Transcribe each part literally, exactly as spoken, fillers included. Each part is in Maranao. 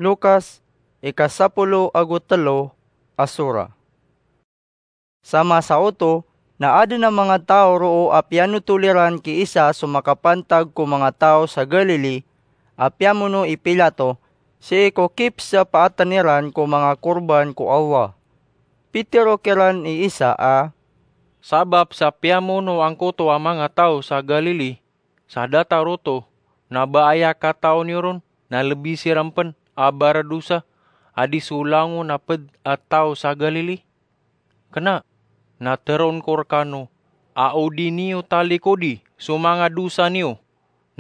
Lukas, ika sapolo ago telo a sura. Sa masa oto, na aden a manga taw roo a piyanotol iran ki Isa so makapantag ko manga taw sa Galili, a piyamono i Pilato, sii ko kipsapaatan iran ko manga korban ko Allah. Pitero kiran i Isa a, sabap sa piyamono angkoto a manga taw sa Galili, sa datar oto, na ba aya kataw niyo ron na lebi siran pen a baradosa a di so langon a ped a taw sa Galili? Kena, na teroon ko rekano a o di niyo talikodi so manga dosa niyo,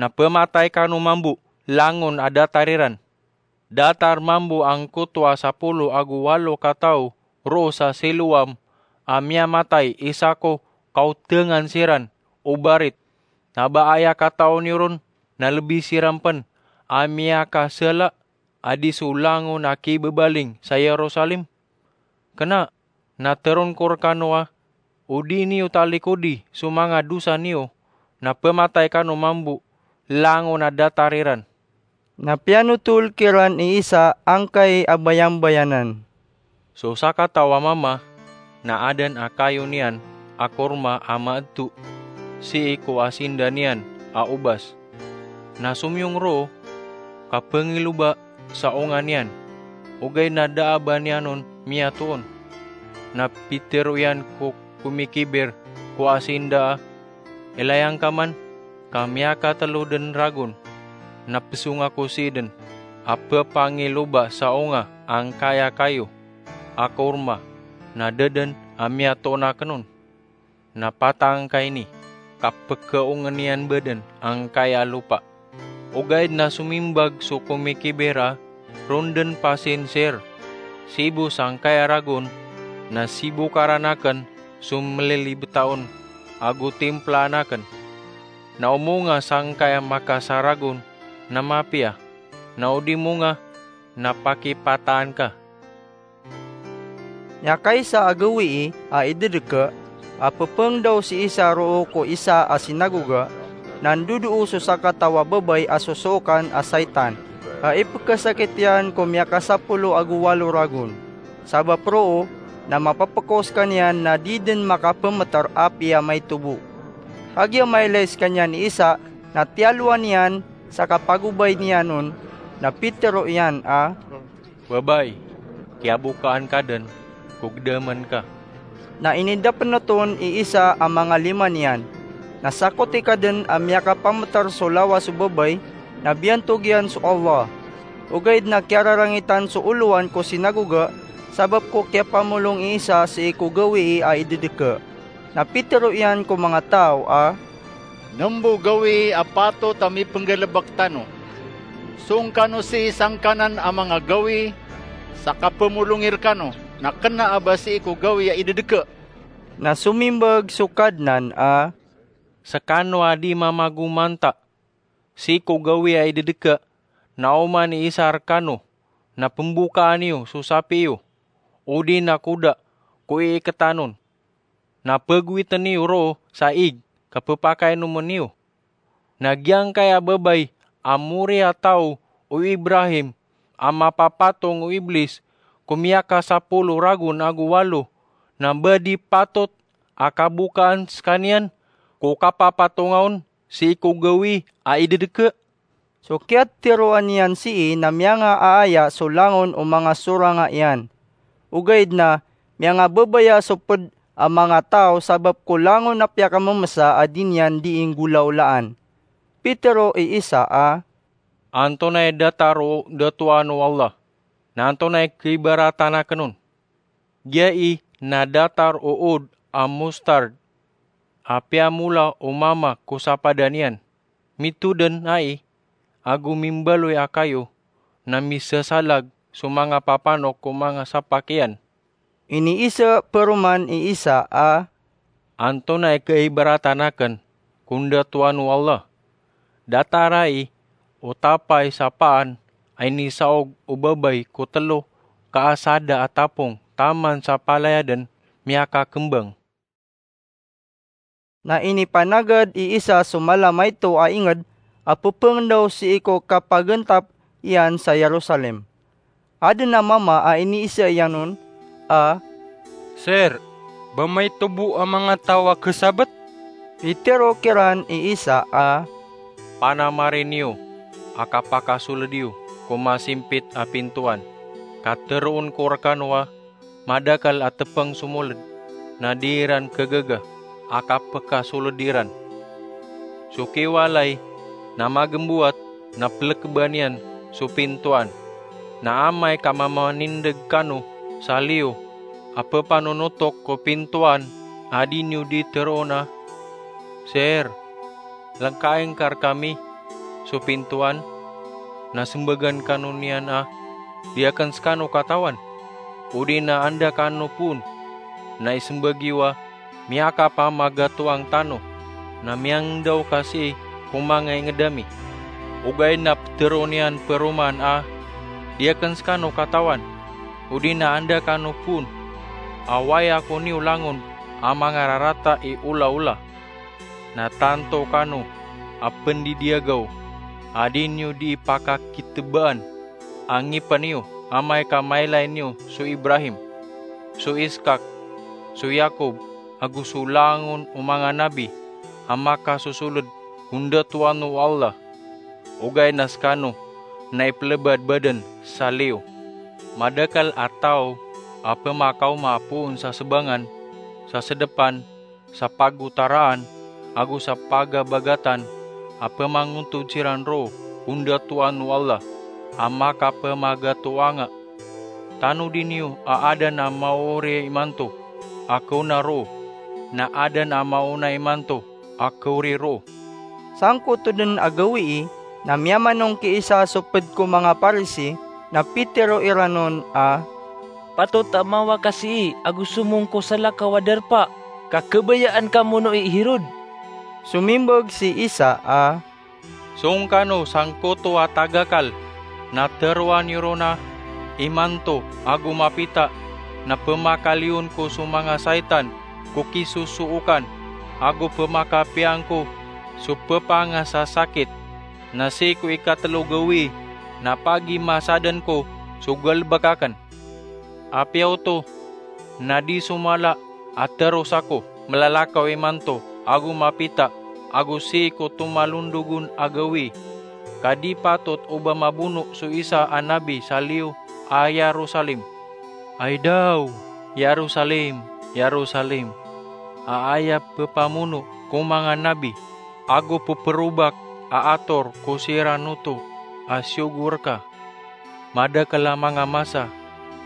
na pematay kano mambo langon a datar iran. Datar mambo angkoto a sapolo ago walo kataw roo sa Siloam a miyamatay isa ko kaotengan siran o barit, na ba aya kataw niyo ron na lebi siran pen a miyakasala a di so langon a kibebaling sa Yerusalem? Kena, na teroon ko rekano a o di niyo talikodi so manga dosa niyo, na pematay kano mambo langon a datar iran. Na piyanotol kiran i Isa angkai a bayambayanan. So sakataw a mama na aden a kayo niyan a korma a maedto sii ko asinda niyan a obas. Na somiyong roo ka pengiloba sa onga niyan, ogaid na da a ba niyan on miyatoon. Na pitero iyan ko komikiber ko asinda a, ilay angka man ka miyakatelo den ragon, na pesong ako sii den a pepangiloba sa onga angkaya kayo a korma, na da den a miyatoon aken on. Na pata angkaini, ka pekeongen iyan ba den angkaya lopa. Ogaid na somimbag so komikiber a, ron den pasinser, sibo sangkaya ragon, na sibokaran aken so melilibetaon ago timplaan aken. Na o monga sangkaya makasaragon na mapiya, na o di monga na pakipataan ka. Miyakaisa a gawii a idedeke a pepengdaw si Isa roo ko isa a sinagoga, na ndodoo so sakataw a babay a sosookan a saitan a ipekesakit iyan ko miyakasapolo ago walo ragon. Sabap roo na mapapeko sekaniyan na di den makapemeter apiya maito bo. Kagiya mailay sekaniyan i Isa na tiyalowan iyan sa kapagobay niyan on, na pitero iyan a, babay, kiyabokaan ka den ko gedamen ka. Na inidapen oto on i Isa a manga lima niyan. Na sakoti ka den a miyakapameter so lawas o babay, na biyantog iyan so Allah. Ogaid na kiyararangitan so olowan ko sinagoga sabap ko kiyapamolong i Isa sii ko gawii a idedeke. Na pitero iyan ko manga taw a, nembo gawii a patot a mipenggalebek tano? Song kano sii sangkanan a manga gawii sa kapemolongi rekano, na kena a ba sii ko gawii a idedeke? Na somimbag so Kadnan a, sekano a di mamagomanta sii ko gawii a idedeke, na oman i Isa rekano, na pembokaan iyo so sapi iyo, odi na koda ko iiketan on, na pegowiten iyo roo sa ig ka pepakainomen iyo. Na giyangkaya babay a moriyataw o Ibrahim a mapapatong o Iblis ko miyakasapolo ragon ago walo, na ba di patot a kabokaan sekaniyan ko kapapatonga on sii ko gawii a idedeke? So kiyatiroan iyan sii na miyangaaya so langon o manga soranga iyan. Ogaid na miyangababaya so ped a manga taw sabap ko langon a piyakamemesa a di niyan dii nggolawlaan. Pitero i Isa a, antonaa i datar o datoan o Allah, na antonaa i kaibaratan aken on? Giyai na datar o od a mustard a piyamola o mama ko sapadan iyan. Mitoden ai ago mimbaloy a kayo, na misesalag so manga papanok ko manga sapak iyan. Iniiseperoman i Isa a, antonaa i kaibaratan aken ko ndatoan o Allah? Datar ai o tapay sa paan a inisaog o babay ko telo ka asada a tapong taman sa palaya den miyakakembang. Na inipanagad i Isa so mala maito a inged a pepengendaw sii ko kapagentap iyan sa Jerusalem. Aden a mama a iniisa iyan on a, "Sir, ba maito bo a manga taw a khasabt?" Pitero kiran i Isa a, "Panamari niyo a kapakasoled iyo ko masimpit a pintoan, ka teroon ko rekano a madakl a tepeng so moled, na di iran khagaga a kapekasoled iran. So kiwalay na magembowat na pelekban iyan so pintoan, na amay ka mamanindeg kano sa liyo a pepanonotok ko pintoan a di niyo di teroon a, 'Sir, lengkaing ka rekami so pintoan,' na sembagan kano niyan a, 'Di aken sekano katawan,' odi na 'Anda kano poon,' na isembag iyo a, 'Miyakapamagatoang tano, na miyangendaw ka sii ko manga inged ami.' Ogaid na peteroon iyan peroman a, 'Di aken sekano katawan, odi na 'Anda kano poon, a wai ako niyo langon a mangararata i olaola.' Na tanto kano a pendidiyagaw a di niyo di ipakakitebaan a ngipen iyo, amay ka mailay niyo so Ibrahim, so Iskak, so Yakob, ago so langon o manga nabi a makasosoled ko ndatoan o Allah. Ogaid na sekano na ipelebadbaden sa liyo. Madakl a taw a pemakaoma poon sa sebangan, sa sedepan, sa pagotaraan, ago sa pagabagatan a pemangontod siran roo ko ndatoan o Allah a makapemagatoanga. Tanodi niyo a aden a maori imanto a kaona roo, na aden a maona imanto a kaori roo." Sangkoto den a gawii na miyamanong ki Isa so ped ko manga Parisi, na pitero iran on a, "Patot a mawa ka sii ago somong ko salakaw a darpa, ka khabayaan ka mono i Herod." Somimbag si Isa a, "Song kano sangkoto a tagakal, na teroa niyo ron a, 'Imanto ago mapita na pemakaliyon ko so manga saitan ko kisosookan, ago pemakapiya ngko so pepangasasakit, na sii ko ikatelo gawii na pagimasaden ko so galebek aken.' Apiya oto, na di so mala a teros ako, 'Melalakaw imanto ago mapita ago sii ko tomalondogon a gawii,' ka di patot o ba mabono so isa a nabi sa liyo a Yerusalem. Ay daw, Yerusalem, Yerusalem, a aya pepamono ko manga nabi ago peperobak a ator ko siran oto a siyogo reka! Madakl a manga masa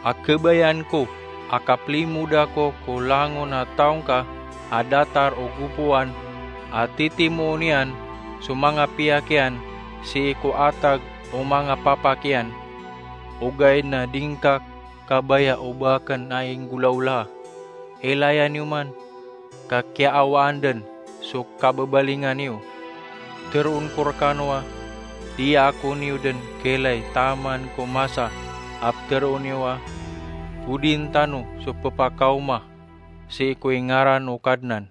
a khabayaan ko a kaplimod ako ko langon a taw ngka a datar o gopoan a titimoon iyan so manga piyak iyan sii ko atag o manga papak iyan, ogaid na di ngka kabaya o ba aken a inggolawlaa. Ilaya niyo man, ka kiyaawaan den so kababalingan iyo. Teroon ko rekano a, di ako niyo den kailay taman ko masa a peteroon iyo a, 'Odin tano so pepakaoma sii ko ingaran o Kadnan.'"